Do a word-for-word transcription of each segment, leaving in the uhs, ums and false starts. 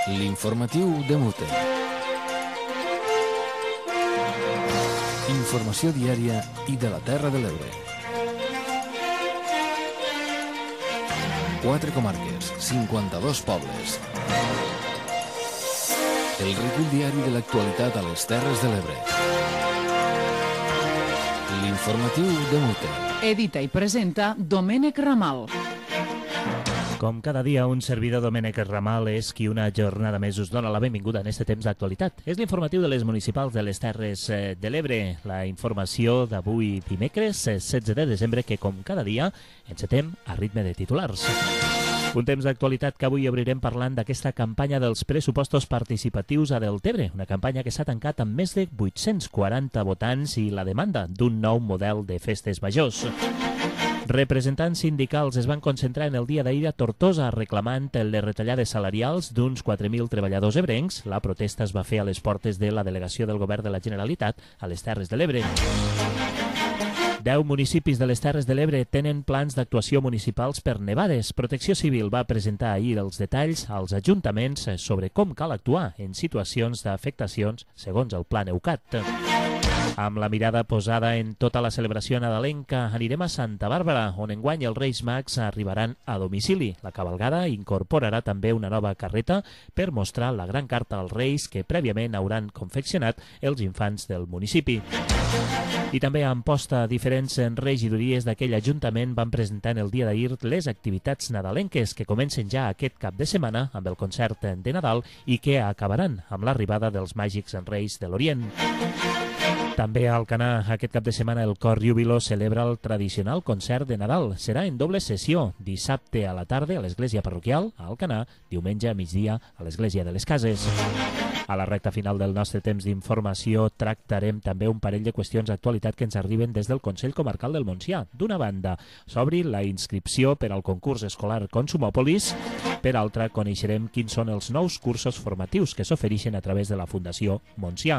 L'informatiu de Mute. Informació diària i de la Terra de l'Ebre. Quatre comarques, cinquanta-dos pobles. El recull diari de l'actualitat a les Terres de l'Ebre. L'informatiu de Mute. Edita i presenta Domènec Ramal. Com cada dia, un servidor, Domènec Ramal, és qui una jornada més us dona la benvinguda en este temps d'actualitat. És l'informatiu de les municipals de les Terres de l'Ebre, la informació d'avui dimecres, setze de desembre, que com cada dia encetem a ritme de titulars. Un temps d'actualitat que avui obrirem parlant d'aquesta campanya dels pressupostos participatius a Deltebre, una campanya que s'ha tancat amb més de vuit-cents quaranta votants i la demanda d'un nou model de festes majors. Representants sindicals es van concentrar en el dia d'ahir a Tortosa reclamant les retallades salarials d'uns quatre mil treballadors ebrencs. La protesta es va fer a les portes de la delegació del Govern de la Generalitat a les Terres de l'Ebre. Deu municipis de les Terres de l'Ebre tenen plans d'actuació municipals per nevades. Protecció Civil va presentar ahir els detalls als ajuntaments sobre com cal actuar en situacions d'afectacions segons el Pla Neucat. Amb la mirada posada en tota la celebració nadalenca, anirem a Santa Bàrbara, on enguany els Reis Mags arribaran a domicili. La cavalgada incorporarà també una nova carreta per mostrar la gran carta als Reis que prèviament hauran confeccionat els infants del municipi. I també a Amposta, diferents regidories d'aquell ajuntament van presentar en el dia d'ahir les activitats nadalenques que comencen ja aquest cap de setmana amb el concert de Nadal i que acabaran amb l'arribada dels màgics Reis de l'Orient. També a Alcanar, aquest cap de setmana, el Cor Júbilo celebra el tradicional concert de Nadal. Serà en doble sessió, dissabte a la tarda a l'església parroquial a Alcanar, diumenge a migdia a l'església de les Cases. A la recta final del nostre temps d'informació tractarem també un parell de qüestions d'actualitat que ens arriben des del Consell Comarcal del Montsià. D'una banda, s'obri la inscripció per al concurs escolar Consumòpolis. Per altra, coneixerem quins són els nous cursos formatius que s'ofereixen a través de la Fundació Montsià.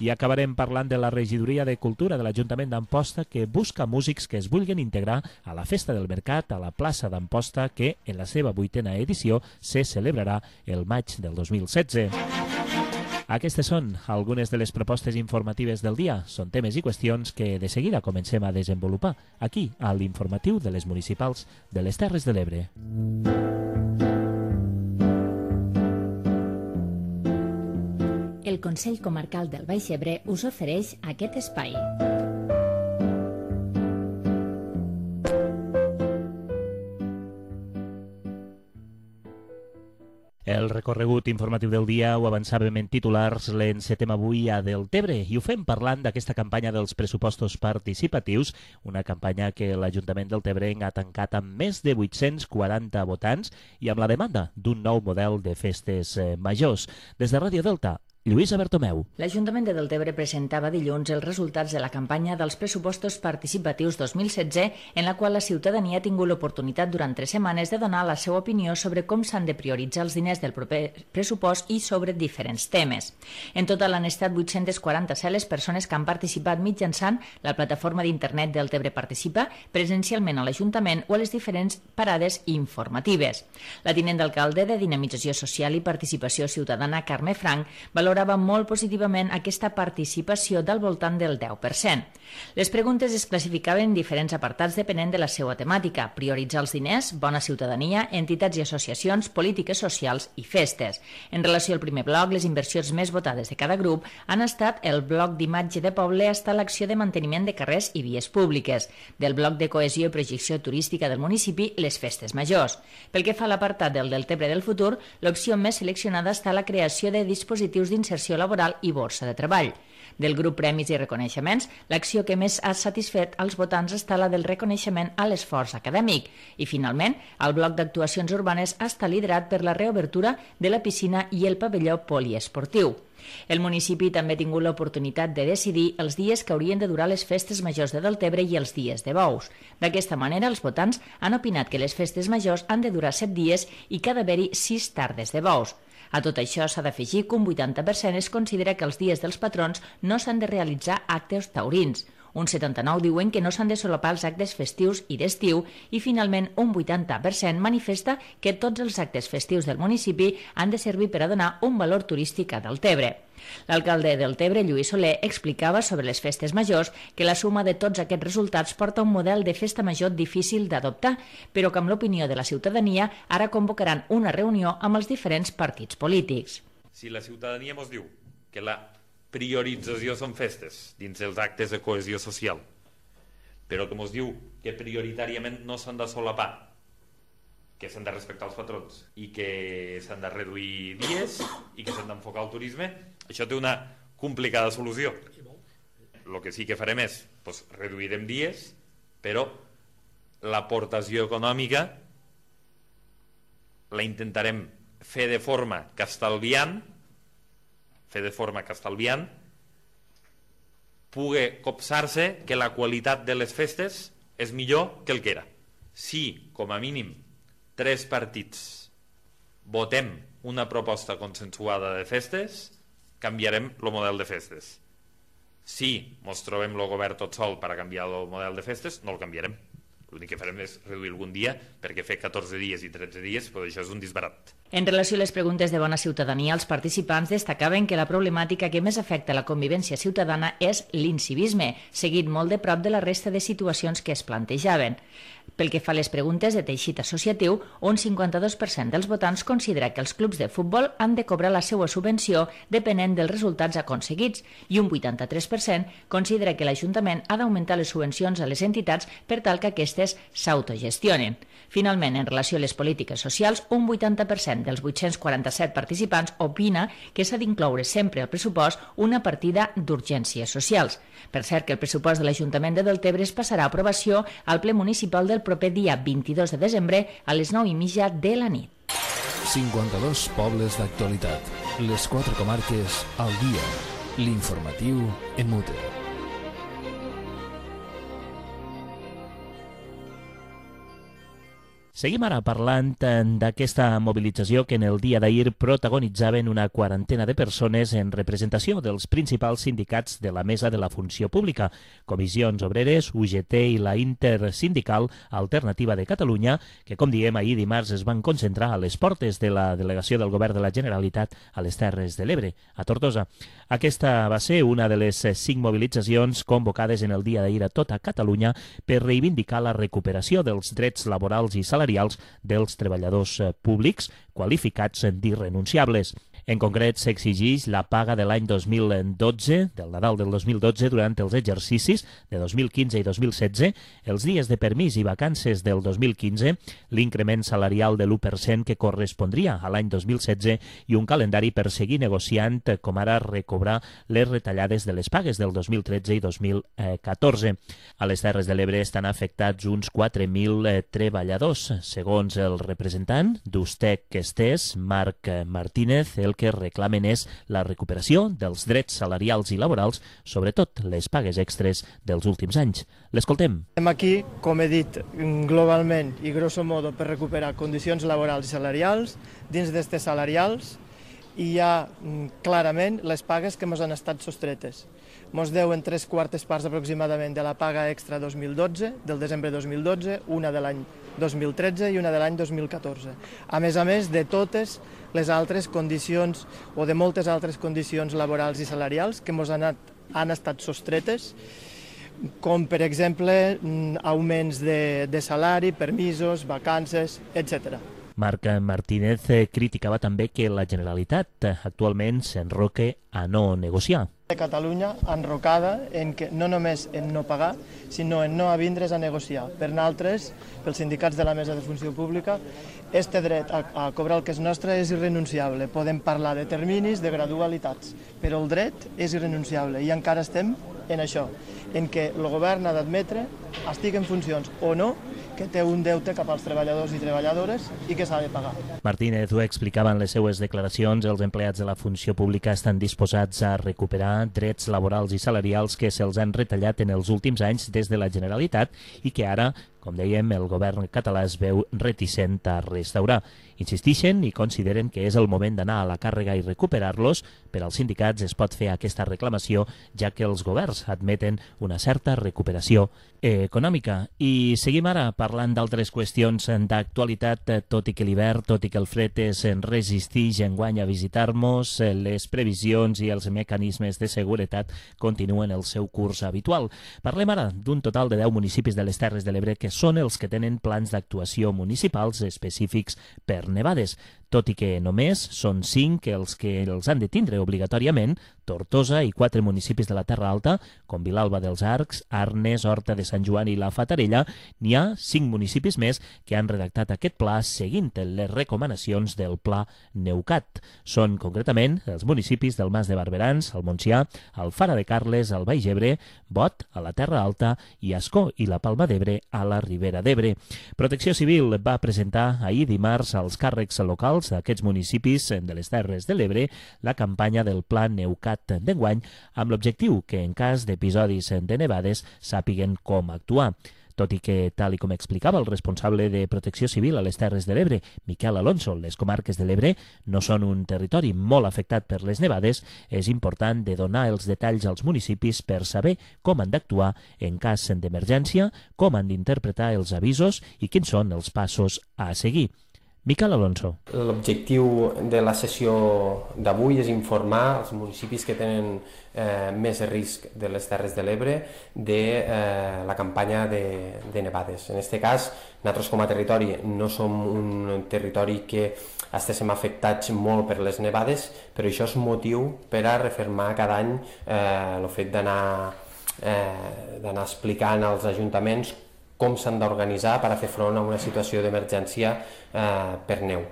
I acabarem parlant de la Regidoria de Cultura de l'Ajuntament d'Amposta, que busca músics que es vulguin integrar a la Festa del Mercat a la plaça d'Amposta, que en la seva vuitena edició se celebrarà el maig del dos mil setze. Aquestes són algunes de les propostes informatives del dia. Són temes i qüestions que de seguida comencem a desenvolupar aquí, a l'informatiu de les municipals de les Terres de l'Ebre. El Consell Comarcal del Baix Ebre us ofereix aquest espai. El recorregut informatiu del dia ho avançàvem en titulars, l'encetem avui a Deltebre i ho fem parlant d'aquesta campanya dels pressupostos participatius, una campanya que l'Ajuntament del Deltebrenc ha tancat amb més de vuit-cents quaranta votants i amb la demanda d'un nou model de festes majors. Des de Ràdio Delta, Lluïsa Bertomeu. L'Ajuntament de Deltebre presentava dilluns els resultats de la campanya dels pressupostos participatius dos mil setze, en la qual la ciutadania ha tingut l'oportunitat durant tres setmanes de donar la seva opinió sobre com s'han de prioritzar els diners del proper pressupost i sobre diferents temes. En total han estat vuit-cents quaranta-set les persones que han participat mitjançant la plataforma d'internet Deltebre Participa, presencialment a l'Ajuntament o a les diferents parades informatives. La tinent d'alcalde de Dinamització Social i Participació Ciutadana, Carme Frank, valorava valorava molt positivament aquesta participació del voltant del deu per cent. Les preguntes es classificaven en diferents apartats depenent de la seva temàtica: prioritzar els diners, bona ciutadania, entitats i associacions, polítiques socials i festes. En relació al primer bloc, les inversions més votades de cada grup han estat el bloc d'imatge de poble hasta l'acció de manteniment de carrers i vies públiques, del bloc de cohesió i projecció turística del municipi, les festes majors. Pel que fa a l'apartat del Deltebre del futur, l'opció més seleccionada està la creació de dispositius d'inserció laboral i borsa de treball. Del grup Premis i Reconeixements, l'acció que més ha satisfet als votants està la del reconeixement a l'esforç acadèmic. I, finalment, el bloc d'actuacions urbanes està liderat per la reobertura de la piscina i el pavelló poliesportiu. El municipi també ha tingut l'oportunitat de decidir els dies que haurien de durar les festes majors de Deltebre i els dies de bous. D'aquesta manera, els votants han opinat que les festes majors han de durar set dies i que ha d'haver-hi sis tardes de bous. A tot això s'ha d'afegir que un vuitanta per cent es considera que els dies dels patrons no s'han de realitzar actes taurins. Un setanta-nou diuen que no s'han de solapar els actes festius i d'estiu i finalment un vuitanta per cent manifesta que tots els actes festius del municipi han de servir per a donar un valor turístic a Deltebre. L'alcalde del Deltebre, Lluís Soler, explicava sobre les festes majors que la suma de tots aquests resultats porta un model de festa major difícil d'adoptar, però que amb l'opinió de la ciutadania ara convocaran una reunió amb els diferents partits polítics. Si la ciutadania ens diu que la priorització són festes dins els actes de cohesió social, però que ens diu que prioritàriament no s'han de solapar, que s'han de respectar els patrons i que s'han de reduir dies i que s'han d'enfocar el turisme, això té una complicada solució. El que sí que farem és doncs, reduirem dies, però l'aportació econòmica la intentarem fer de forma que estalviant fer de forma que estalviant pugui copsar-se que la qualitat de les festes és millor que el que era. Si, com a mínim, tres partits votem una proposta consensuada de festes, canviarem el model de festes. Si ens trobem el govern tot sol per a canviar el model de festes, no el canviarem. L'únic que farem és reduir algun dia, perquè fer catorze dies i tretze dies, doncs això és un disbarat. En relació a les preguntes de bona ciutadania, els participants destacaven que la problemàtica que més afecta la convivència ciutadana és l'incivisme, seguit molt de prop de la resta de situacions que es plantejaven. Pel que fa a les preguntes de teixit associatiu, un cinquanta-dos per cent dels votants considera que els clubs de futbol han de cobrar la seva subvenció depenent dels resultats aconseguits i un vuitanta-tres per cent considera que l'Ajuntament ha d'augmentar les subvencions a les entitats per tal que aquestes s'autogestionen. Finalment, en relació a les polítiques socials, un vuitanta per cent dels vuit-cents quaranta-set participants opina que s'ha d'incloure sempre al pressupost una partida d'urgències socials. Per cert, que el pressupost de l'Ajuntament de Deltebre es passarà a aprovació al ple municipal del proper dia vint-i-dos de desembre a les nou i mitja de la nit. cinquanta-dos pobles d'actualitat. Les quatre comarques al dia. L'informatiu en Mute. Seguim ara parlant d'aquesta mobilització que en el dia d'ahir protagonitzaven una quarantena de persones en representació dels principals sindicats de la Mesa de la Funció Pública, Comissions Obreres, U G T i la Intersindical Alternativa de Catalunya, que, com diem, ahir dimarts es van concentrar a les portes de la delegació del Govern de la Generalitat a les Terres de l'Ebre, a Tortosa. Aquesta va ser una de les cinc mobilitzacions convocades en el dia d'ahir a tota Catalunya per reivindicar la recuperació dels drets laborals i salarials dels treballadors públics qualificats d'irrenunciables. En concret, s'exigeix la paga de l'any dos mil dotze, del Nadal del dos mil dotze, durant els exercicis de dos mil quinze i dos mil setze, els dies de permís i vacances del dos mil quinze, l'increment salarial de l'u per cent que correspondria a l'any dos mil setze i un calendari per seguir negociant, com ara recobrar les retallades de les pagues del dos mil tretze i dos mil catorze. A les Terres de l'Ebre estan afectats uns quatre mil treballadors. Segons el representant d'Ustec Estés, Marc Martínez, el que reclamen és la recuperació dels drets salarials i laborals, sobretot les pagues extres dels últims anys. L'escoltem. Estem aquí, com he dit, globalment i grosso modo per recuperar condicions laborals i salarials. Dins d'aquestes salarials hi ha clarament les pagues que ens han estat sostretes. Ens deuen tres quartes parts aproximadament de la paga extra dos mil dotze, del desembre dos mil dotze, una de l'any dos mil tretze i una de l'any dos mil catorze. A més a més de totes les altres condicions o de moltes altres condicions laborals i salarials que ens han, han estat sostretes, com per exemple augments de, de salari, permisos, vacances, etcètera. Marc Martínez criticava també que la Generalitat actualment s'enroque a no negociar. De Catalunya enrocada en que no només en no pagar, sinó en no avindre's a negociar. Per nosaltres, pels sindicats de la Mesa de Funció Pública, este dret a, a cobrar el que és nostre és irrenunciable. Podem parlar de terminis, de gradualitats, però el dret és irrenunciable i encara estem en això, en què el govern ha d'admetre, estigui en funcions o no, que té un deute cap als treballadors i treballadores i que s'ha de pagar. Martínez ho explicava en les seues declaracions. Els empleats de la funció pública estan disposats a recuperar drets laborals i salarials que se'ls han retallat en els últims anys des de la Generalitat i que ara com dèiem, el govern català es veu reticent a restaurar. Insistixen i consideren que és el moment d'anar a la càrrega i recuperar-los. Per als sindicats es pot fer aquesta reclamació, ja que els governs admeten una certa recuperació econòmica. I seguim ara parlant d'altres qüestions d'actualitat, tot i que l'hivern, tot i que el fred es resisteix enguany a visitar-nos, les previsions i els mecanismes de seguretat continuen el seu curs habitual. Parlem ara d'un total de deu municipis de les Terres de l'Ebre que són els que tenen plans d'actuació municipals específics per nevades, tot i que només són cinc els que els han de tindre obligatòriament. Tortosa i quatre municipis de la Terra Alta, com Vilalba dels Arcs, Arnes, Horta de Sant Joan i la Fatarella. N'hi ha cinc municipis més que han redactat aquest pla seguint les recomanacions del Pla Neucat. Són concretament els municipis del Mas de Barberans, el Montsià, el Fara de Carles, el Baix Ebre, Bot, a la Terra Alta, i Ascó i la Palma d'Ebre, a la Ribera d'Ebre. Protecció Civil va presentar ahir dimarts als càrrecs locals d'aquests municipis de les Terres de l'Ebre la campanya del Pla Neucat d'enguany, amb l'objectiu que en cas d'episodis de nevades sàpiguen com actuar. Tot i que, tal i com explicava el responsable de Protecció Civil a les Terres de l'Ebre, Miquel Alonso, les comarques de l'Ebre no són un territori molt afectat per les nevades, és important de donar els detalls als municipis per saber com han d'actuar en cas d'emergència, com han d'interpretar els avisos i quins són els passos a seguir. Miquel Alonso. L'objectiu de la sessió d'avui és informar els municipis que tenen eh, més risc de les Terres de l'Ebre de eh, la campanya de, de nevades. En aquest cas, nosaltres com a territori no som un territori que estiguem afectats molt per les nevades, però això és motiu per a refermar cada any eh, el fet d'anar eh, d'anar explicant als ajuntaments com s'han d'organitzar per a fer front a una situació d'emergència eh, per neu.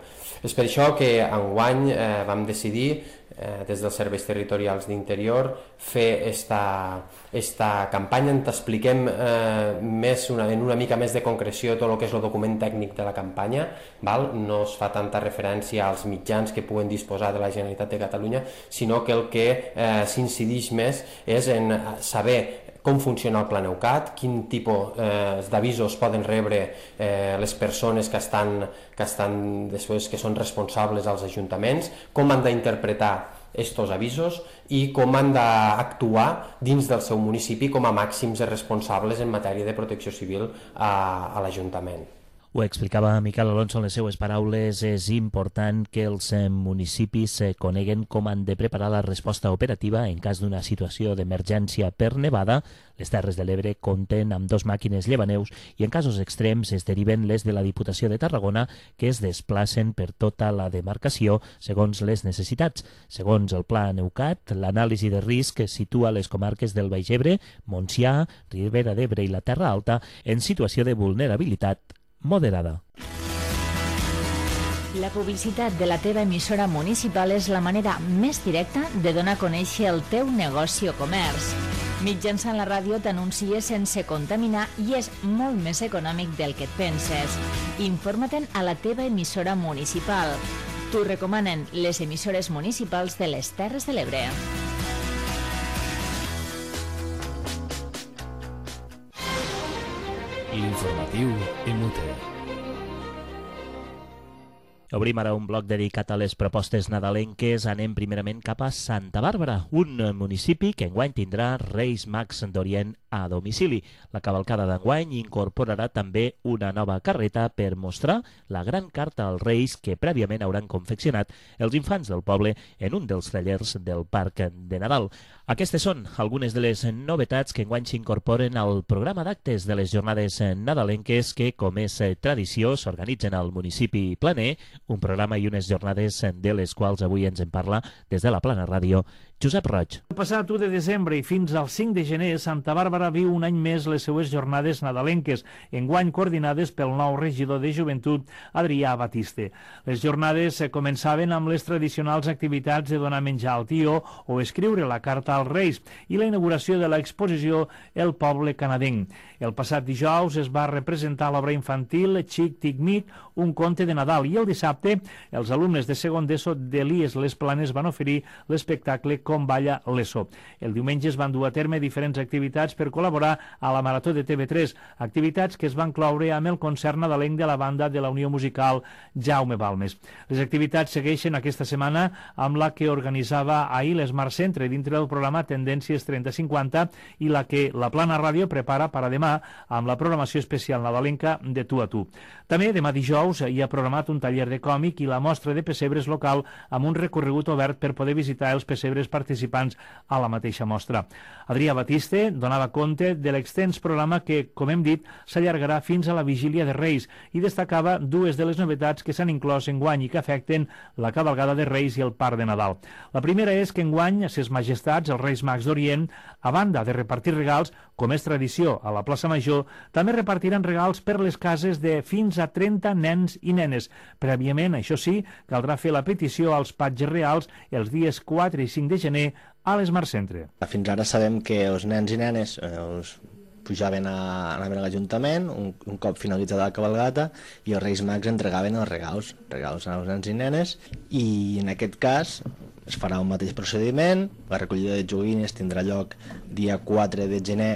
És per això que enguany eh, vam decidir, eh, des dels serveis territorials d'interior, fer esta, esta campanya on expliquem eh, més una, en una mica més de concreció tot el que és el document tècnic de la campanya. Val? No es fa tanta referència als mitjans que puguen disposar de la Generalitat de Catalunya, sinó que el que eh, s'incideix més és en saber com funciona el Pla Neucat, quin tipus eh, d'avisos poden rebre eh, les persones que estan, que estan després que són responsables als ajuntaments, com han d'interpretar estos avisos i com han d'actuar dins del seu municipi com a màxims responsables en matèria de protecció civil a, a l'Ajuntament. Ho explicava Miquel Alonso en les seues paraules, és important que els municipis coneguen com han de preparar la resposta operativa en cas d'una situació d'emergència per nevada. Les Terres de l'Ebre compten amb dos màquines llevaneus i en casos extrems es deriven les de la Diputació de Tarragona, que es desplacen per tota la demarcació segons les necessitats. Segons el Pla Neucat, l'anàlisi de risc situa les comarques del Baix Ebre, Montsià, Ribera d'Ebre i la Terra Alta en situació de vulnerabilitat moderada. La publicitat de la teva emissora municipal és la manera més directa de donar a conèixer el teu negoci o comerç. Mitjançant la ràdio t'anuncies sense contaminar i és molt més econòmic del que et penses. Informa-te'n a la teva emissora municipal. T'ho recomanen les emissores municipals de les Terres de l'Ebre. L'informatiu Emute. Obrim ara un bloc dedicat a les propostes nadalenques. Anem primerament cap a Santa Bàrbara, un municipi que enguany tindrà Reis Mags d'Orient a domicili. La cavalcada d'enguany incorporarà també una nova carreta per mostrar la gran carta als Reis que prèviament hauran confeccionat els infants del poble en un dels tallers del Parc de Nadal. Aquestes són algunes de les novetats que enguany s'incorporen al programa d'actes de les jornades nadalenques que, com és tradició, s'organitzen al municipi planer, un programa i unes jornades de les quals avui ens en parla des de la Plana Ràdio Josep Roig. El passat u de desembre i fins al cinc de gener, Santa Bàrbara viu un any més les seues jornades nadalenques, enguany coordinades pel nou regidor de Joventut, Adrià Batiste. Les jornades començaven amb les tradicionals activitats de donar menjar al tió o escriure la carta als Reis i la inauguració de l'exposició El Poble Canadenc. El passat dijous es va representar l'obra infantil Xic Tic Mic, un conte de Nadal, i el dissabte els alumnes de segon d'ESO de l'I E S Les Planes van oferir l'espectacle Com balla l'E S O. El diumenge es van dur a terme diferents activitats per col·laborar a la Marató de T V tres, activitats que es van cloure amb el concert nadalenc de la banda de la Unió Musical Jaume Balmes. Les activitats segueixen aquesta setmana amb la que organitzava ahir l'Smart Centre dintre del programa Tendències trenta cinquanta i la que la Plana Ràdio prepara per a demà amb la programació especial nadalenca de Tu a Tu. També demà dijous hi ha programat un taller de còmic i la mostra de pessebres local amb un recorregut obert per poder visitar els pessebres participants a la mateixa mostra. Adrià Batiste donava compte de l'extens programa que, com hem dit, s'allargarà fins a la vigília de Reis i destacava dues de les novetats que s'han inclòs enguany i que afecten la cavalgada de Reis i el Parc de Nadal. La primera és que enguany ses majestats, els Reis Mags d'Orient, a banda de repartir regals, com és tradició a la plaça Major, també repartiran regals per les cases de fins a trenta nens i nenes. Prèviament, això sí, caldrà fer la petició als patges reals els dies quatre i cinc de gener a l'Smart Centre. Fins ara sabem que els nens i nenes eh, els pujaven a, anaven a l'Ajuntament un, un cop finalitzada la cabalgata i els Reis Mags entregaven els regals, regals als nens i nenes, i en aquest cas es farà un mateix procediment. La recollida de joguines tindrà lloc dia quatre de gener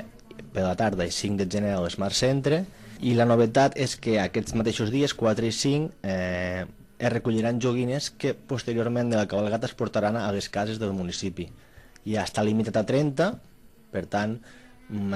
per la tarda i cinc de gener a l'Smart Centre, i la novetat és que aquests mateixos dies, quatre i cinc, eh, es recolliran joguines que posteriorment de la cabalgata es portaran a les cases del municipi. Ja està limitat a trenta, per tant,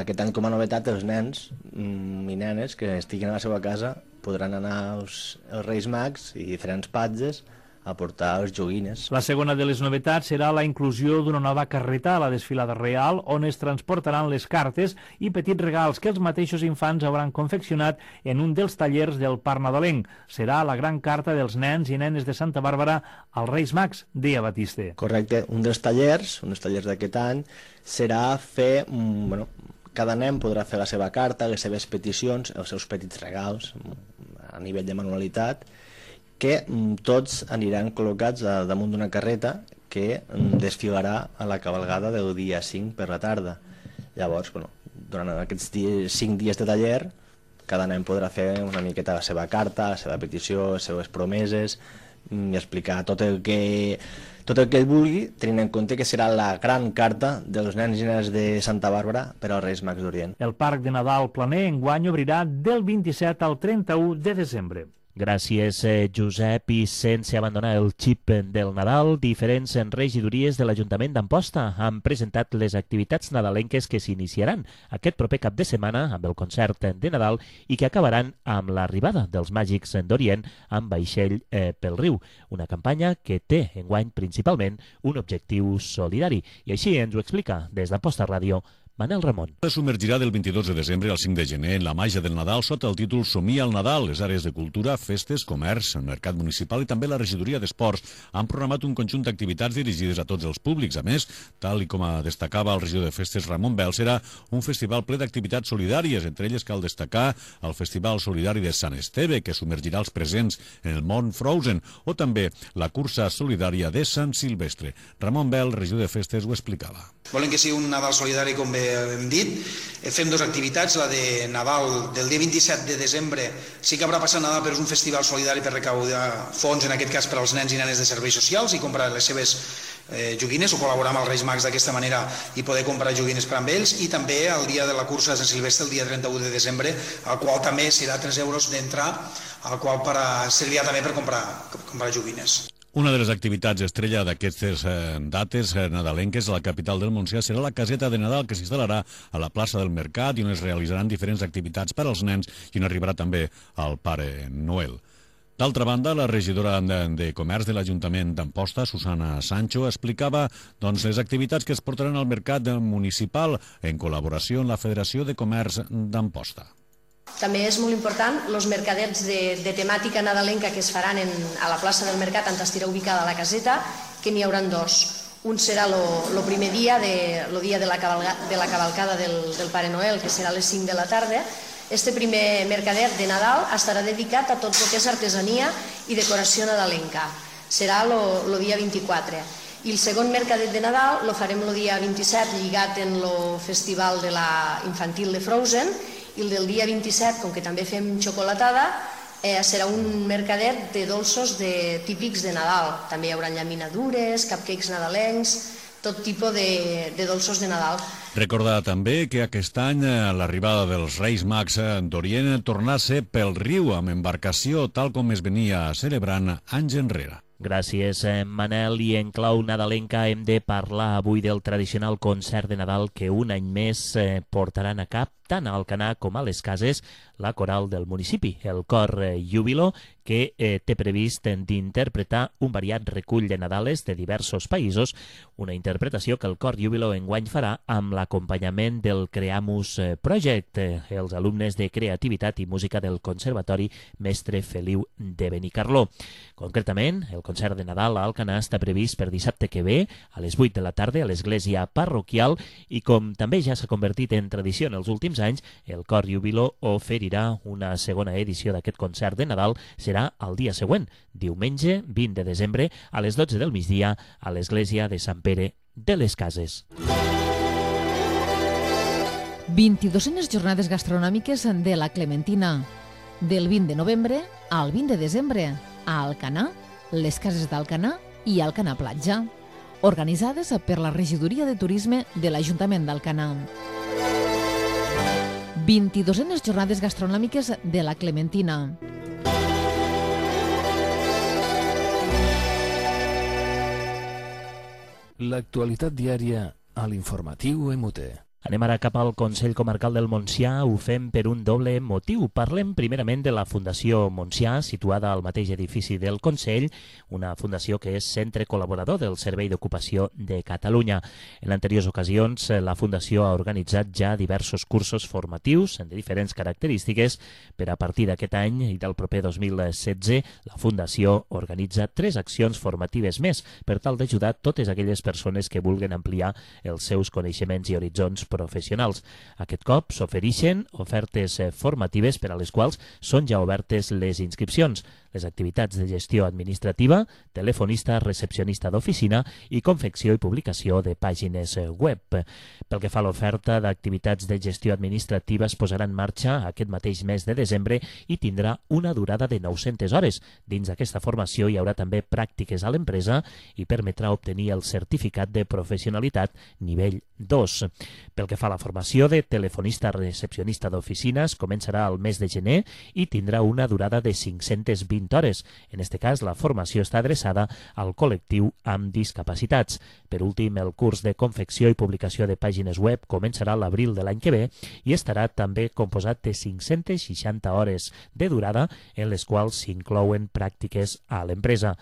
aquest any com a novetat els nens i nenes que estiguin a la seva casa podran anar als, als Reis Mags i diferents patges a portar els joguines. La segona de les novetats serà la inclusió d'una nova carreta a la desfilada real on es transportaran les cartes i petits regals que els mateixos infants hauran confeccionat en un dels tallers del Parc Nadalenc. Serà la gran carta dels nens i nenes de Santa Bàrbara als Reis Mags, deia Batiste. Correcte, un dels tallers, un dels tallers d'aquest any, serà fer, bueno, cada nen podrà fer la seva carta, les seves peticions, els seus petits regals a nivell de manualitat, que tots aniran col·locats damunt d'una carreta que desfilarà a la cabalgada del dia cinc per la tarda. Llavors, bueno, durant aquests dies, cinc dies de taller, cada nen podrà fer una miqueta la seva carta, la seva petició, les seves promeses, i explicar tot el que tot el que ell vulgui, tenint en compte que serà la gran carta dels nens i nenes de Santa Bàrbara per als Reis Mags d'Orient. El Parc de Nadal Planer enguany obrirà del vint-i-set al trenta-u de desembre. Gràcies, eh, Josep. I sense abandonar el xip del Nadal, diferents regidories de l'Ajuntament d'Amposta han presentat les activitats nadalenques que s'iniciaran aquest proper cap de setmana amb el concert de Nadal i que acabaran amb l'arribada dels Màgics d'Orient amb vaixell eh, pel riu. Una campanya que té enguany principalment un objectiu solidari. I així ens ho explica des d'Amposta Ràdio Manel Ramon. Es submergirà del vint-i-dos de desembre al cinc de gener en la màgia del Nadal sota el títol Somia al Nadal. Les àrees de cultura, festes, comerç, mercat municipal i també la regidoria d'esports han programat un conjunt d'activitats dirigides a tots els públics. A més, tal i com destacava el regidor de festes Ramon Bel, serà un festival ple d'activitats solidàries. Entre elles cal destacar el Festival Solidari de Sant Esteve, que submergirà els presents en el món Frozen, o també la cursa solidària de Sant Silvestre. Ramon Bel, regidor de festes, ho explicava. Volem que sigui un Nadal solidari, com bé hem dit. Fem dues activitats, la de Nadal del dia vint-i-set de desembre. Sí que haurà passat Nadal, però és un festival solidari per recaudar fons, en aquest cas per als nens i nenes de serveis socials, i comprar les seves eh, joguines o col·laborar amb els Reis Mags d'aquesta manera i poder comprar joguines per amb ells. I també el dia de la cursa de Sant Silvestre, el dia trenta-u de desembre, al qual també serà tres euros d'entrar, al qual per, servirà també per comprar, comprar joguines. Una de les activitats estrella d'aquestes eh, dates eh, nadalenques a la capital del Montsià serà la caseta de Nadal, que s'instal·larà a la plaça del Mercat i on es realitzaran diferents activitats per als nens i on arribarà també el Pare Noel. D'altra banda, la regidora de, de Comerç de l'Ajuntament d'Amposta, Susana Sancho, explicava doncs, les activitats que es portaran al mercat municipal en col·laboració amb la Federació de Comerç d'Amposta. També és molt important els mercadets de, de temàtica nadalenca que es faran en, a la plaça del Mercat, on estarà ubicada la caseta, que n'hi haurà dos. Un serà el primer dia, de, lo dia de la, cavalga, de la cavalcada del, del Pare Noel, que serà a les cinc de la tarda. Este primer mercadet de Nadal estarà dedicat a tot el que és artesania i decoració nadalenca. Serà el dia vint-i-quatre. I el segon mercadet de Nadal lo farem el dia vint-i-set, lligat en el festival de la infantil de Frozen, i el del dia vint-i-set, com que també fem xocolatada, eh, serà un mercadet de dolços de, típics de Nadal. També hi haurà llaminadures, cupcakes nadalencs, tot tipus de, de dolços de Nadal. Recordar també que aquest any l'arribada dels Reis Mags d'Orient torna a ser pel riu amb embarcació tal com es venia celebrant anys enrere. Gràcies, Manel. I en clau nadalenca hem de parlar avui del tradicional concert de Nadal que un any més portaran a cap tant a Alcanar com a les Cases la coral del municipi, el cor Júbilo, que eh, té previst d'interpretar un variat recull de Nadales de diversos països, una interpretació que el cor Júbilo enguany farà amb l'acompanyament del Creamus Project, eh, els alumnes de Creativitat i Música del Conservatori Mestre Feliu de Benicarló. Concretament, el concert de Nadal a Alcanar està previst per dissabte que ve, a les vuit de la tarda, a l'església parroquial, i com també ja s'ha convertit en tradició en els últims anys, el cor Júbilo oferirà una segona edició d'aquest concert de Nadal. Serà el dia següent, diumenge vint de desembre, a les dotze del migdia, a l'església de Sant Pere de les Cases. vint-i-duenes jornades gastronòmiques de la Clementina. Del vint de novembre al vint de desembre, a Alcanar, les Cases d'Alcanar i Alcanar Platja, organitzades per la Regidoria de Turisme de l'Ajuntament d'Alcanar. vint-i-duenes jornades gastronòmiques de la Clementina. L'actualitat diària a l'informatiu M U T. Anem ara cap al Consell Comarcal del Montsià. Ho fem per un doble motiu. Parlem primerament de la Fundació Montsià, situada al mateix edifici del Consell, una fundació que és centre col·laborador del Servei d'Ocupació de Catalunya. En anteriors ocasions, la Fundació ha organitzat ja diversos cursos formatius de diferents característiques. Per a partir d'aquest any i del proper dos mil setze, la Fundació organitza tres accions formatives més per tal d'ajudar totes aquelles persones que vulguin ampliar els seus coneixements i horitzons professionals. Aquest cop s'ofereixen ofertes formatives per a les quals són ja obertes les inscripcions. Les activitats de gestió administrativa, telefonista, recepcionista d'oficina i confecció i publicació de pàgines web. Pel que fa a l'oferta d'activitats de gestió administrativa, es posarà en marxa aquest mateix mes de desembre i tindrà una durada de nou-centes hores. Dins d'aquesta formació hi haurà també pràctiques a l'empresa i permetrà obtenir el certificat de professionalitat nivell dos. Pel que fa a la formació de telefonista recepcionista d'oficines, començarà al mes de gener i tindrà una durada de cinc-centes vint hores. En aquest cas, la formació està adreçada al col·lectiu amb discapacitats. Per últim, el curs de confecció i publicació de pàgines web començarà a l'abril de l'any que ve i estarà també composat de cinc-centes seixanta hores de durada, en les quals s'inclouen pràctiques a l'empresa.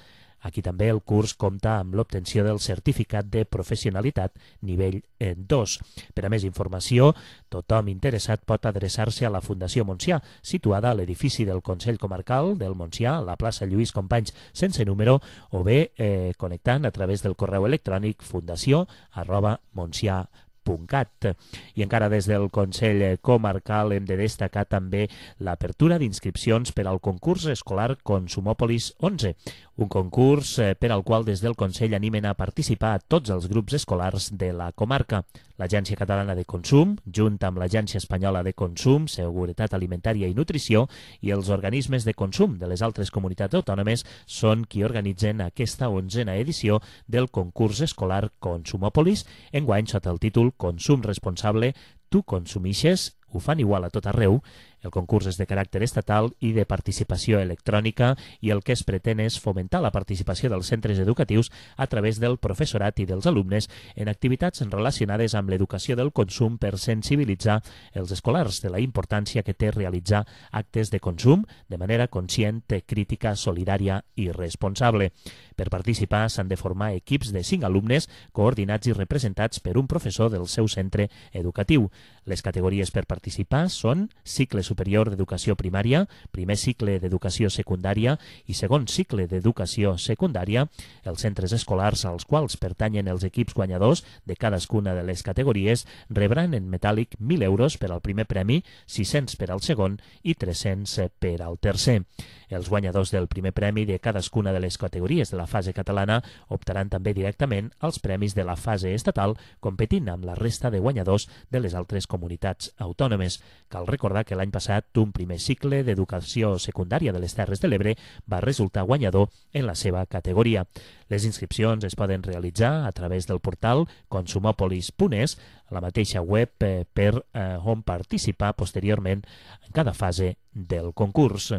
Aquí també el curs compta amb l'obtenció del certificat de professionalitat nivell dos. Per a més informació, tothom interessat pot adreçar-se a la Fundació Montsià, situada a l'edifici del Consell Comarcal del Montsià, a la plaça Lluís Companys sense número, o bé eh, connectant a través del correu electrònic fundació arroba montsià punt cat. I encara des del Consell Comarcal hem de destacar també l'apertura d'inscripcions per al concurs escolar Consumòpolis onze, un concurs per al qual des del Consell animen a participar a tots els grups escolars de la comarca. L'Agència Catalana de Consum, junt amb l'Agència Espanyola de Consum, Seguretat Alimentària i Nutrició i els organismes de consum de les altres comunitats autònomes són qui organitzen aquesta onzena edició del concurs escolar Consumòpolis, enguany sota el títol Consum Responsable, tu consumixes, ho fan igual a tot arreu. El concurs és de caràcter estatal i de participació electrònica i el que es pretén és fomentar la participació dels centres educatius a través del professorat i dels alumnes en activitats relacionades amb l'educació del consum per sensibilitzar els escolars de la importància que té realitzar actes de consum de manera conscient, crítica, solidària i responsable. Per participar s'han de formar equips de cinc alumnes coordinats i representats per un professor del seu centre educatiu. Les categories per participar són cicle superior d'educació primària, primer cicle d'educació secundària i segon cicle d'educació secundària. Els centres escolars als quals pertanyen els equips guanyadors de cadascuna de les categories rebran en metàl·lic mil euros per al primer premi, sis-cents per al segon i tres-cents per al tercer. Els guanyadors del primer premi de cadascuna de les categories de la fase catalana optaran també directament als premis de la fase estatal, competint amb la resta de guanyadors de les altres comunitats autònomes. Cal recordar que l'any passat un primer cicle d'educació secundària de les Terres de l'Ebre va resultar guanyador en la seva categoria. Les inscripcions es poden realitzar a través del portal consumopolis punt es, a la mateixa web eh, per eh, on participar posteriorment en cada fase del concurs.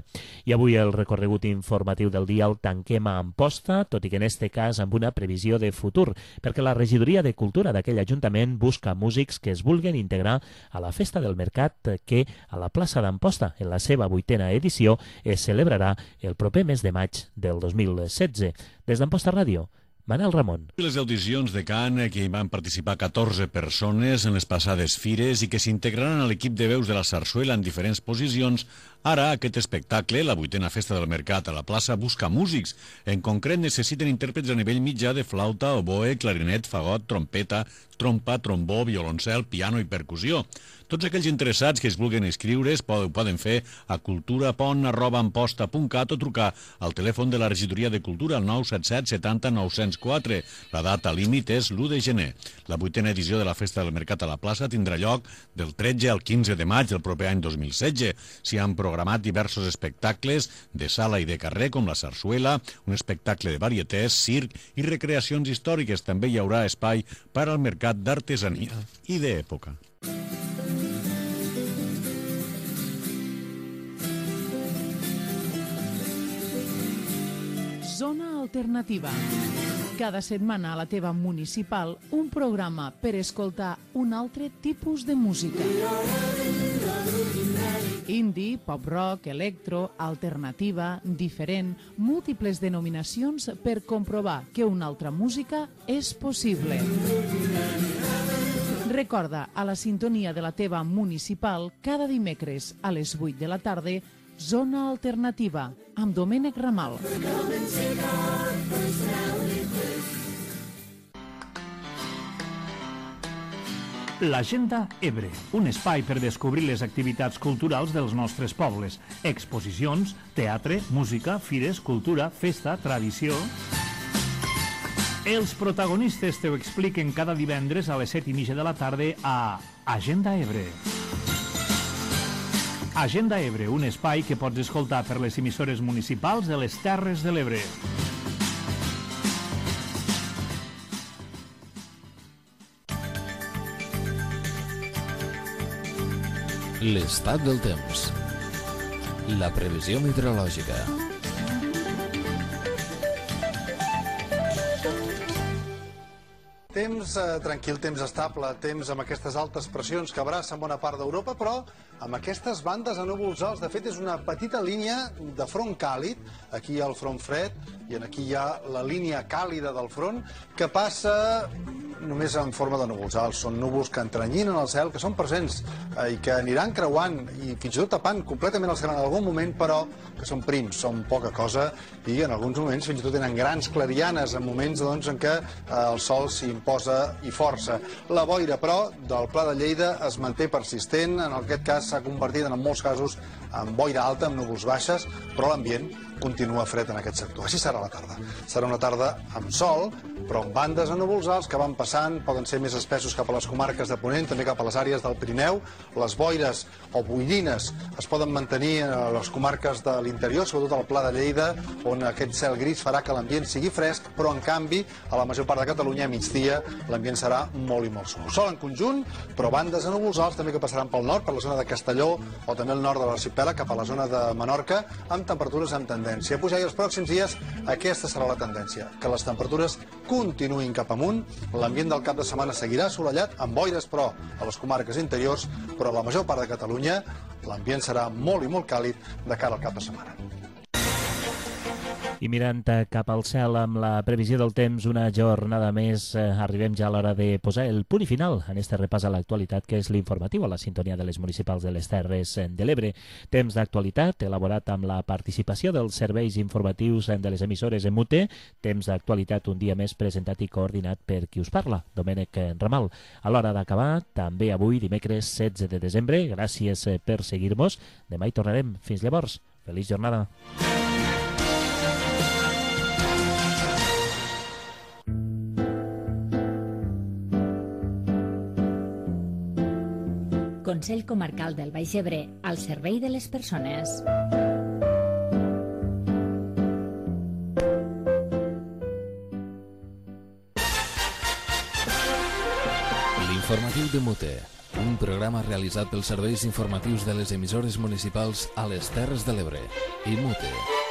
I avui el recorregut informatiu del dia el tanquem a Amposta, tot i que en este cas amb una previsió de futur, perquè la Regidoria de Cultura d'aquell Ajuntament busca músics que es vulguin integrar a la Festa del Mercat que a la plaça d'Amposta, en la seva vuitena edició, es celebrarà el proper mes de maig del dos mil setze. Des d'Amposta Ràdio, Manel Ramon. Les audicions de cant, que hi van participar catorze persones en les passades fires i que s'integraran a l'equip de veus de la Sarsuela en diferents posicions, ara aquest espectacle, la vuitena Festa del Mercat a la plaça, busca músics. En concret necessiten intèrprets a nivell mitjà de flauta, oboe, clarinet, fagot, trompeta, trompa, trombó, violoncel, piano i percussió. Tots aquells interessats que es vulguin inscriure ho poden fer a cultura pont arroba amposta punt cat o trucar al telèfon de la Regidoria de Cultura al nou set set setanta nou cents quatre. La data límit és l'u de gener. La vuitena edició de la Festa del Mercat a la plaça tindrà lloc del tretze al quinze de maig del proper any dos mil setze. S'hi han programat diversos espectacles de sala i de carrer com la Sarsuela, un espectacle de varietés, circ i recreacions històriques. També hi haurà espai per al mercat d'artesania i d'època. Zona Alternativa. Cada setmana a la teva municipal un programa per escoltar un altre tipus de música. Indie, pop-rock, electro, alternativa, diferent, múltiples denominacions per comprovar que una altra música és possible. Recorda, a la sintonia de la teva municipal, cada dimecres a les vuit de la tarda, Zona Alternativa, amb Domènec Ramal. L'Agenda Ebre, un espai per descobrir les activitats culturals dels nostres pobles. Exposicions, teatre, música, fires, cultura, festa, tradició... Els protagonistes te ho expliquen cada divendres a les set i mitja de la tarda a Agenda Ebre. Agenda Ebre, un espai que pots escoltar per les emissores municipals de les Terres de l'Ebre. L'estat del temps. La previsió meteorològica. Temps eh, tranquil, temps estable, temps amb aquestes altes pressions que abracen bona part d'Europa, però amb aquestes bandes de núvols alts. De fet, és una petita línia de front càlid. Aquí hi ha el front fred i aquí hi ha la línia càlida del front que passa només en forma de núvols alts. Són núvols que entrenyinen el cel, que són presents eh, i que aniran creuant i fins i tot tapant completament el cel en algun moment, però que són prims, són poca cosa i en alguns moments fins i tot tenen grans clarianes en moments doncs, en què eh, el sol s'imposa i força. La boira, però, del Pla de Lleida es manté persistent. En aquest cas s'ha convertit en molts casos en boira alta, amb núvols baixes, però l'ambient continua fred en aquest sector. Així serà la tarda. Serà una tarda amb sol, però amb bandes de núvols alts que van passant, poden ser més espessos cap a les comarques de Ponent, també cap a les àrees del Pirineu. Les boires o boirines es poden mantenir a les comarques de l'interior, sobretot al Pla de Lleida, on aquest cel gris farà que l'ambient sigui fresc, però en canvi, a la major part de Catalunya, a migdia, l'ambient serà molt i molt suau. Sol en conjunt, però bandes de núvols alts també que passaran pel nord, per la zona de Castelló, o també el nord de l'arxipèlag, cap a la zona de Menorca, amb temperatures amb tendència a pujar, i els pròxims dies aquesta serà la tendència, que les temperatures continuïn cap amunt. L'ambient del cap de setmana seguirà assolellat, amb boires, però, a les comarques interiors, però a la major part de Catalunya l'ambient serà molt i molt càlid de cara al cap de setmana. I mirant cap al cel amb la previsió del temps, una jornada més, eh, arribem ja a l'hora de posar el punt i final en este repàs a l'actualitat, que és l'informatiu a la sintonia de les municipals de les Terres de l'Ebre. Temps d'actualitat elaborat amb la participació dels serveis informatius de les emissores en mute. Temps d'actualitat un dia més presentat i coordinat per qui us parla, Domènec Ramal. A l'hora d'acabar, també avui, dimecres setze de desembre, gràcies per seguir-nos. Demà hi tornarem. Fins llavors, feliç jornada. Consell Comarcal del Baix Ebre, al servei de les persones. L'informatiu de Mute, un programa realitzat pels serveis informatius de les emissores municipals a les Terres de l'Ebre. I Mute.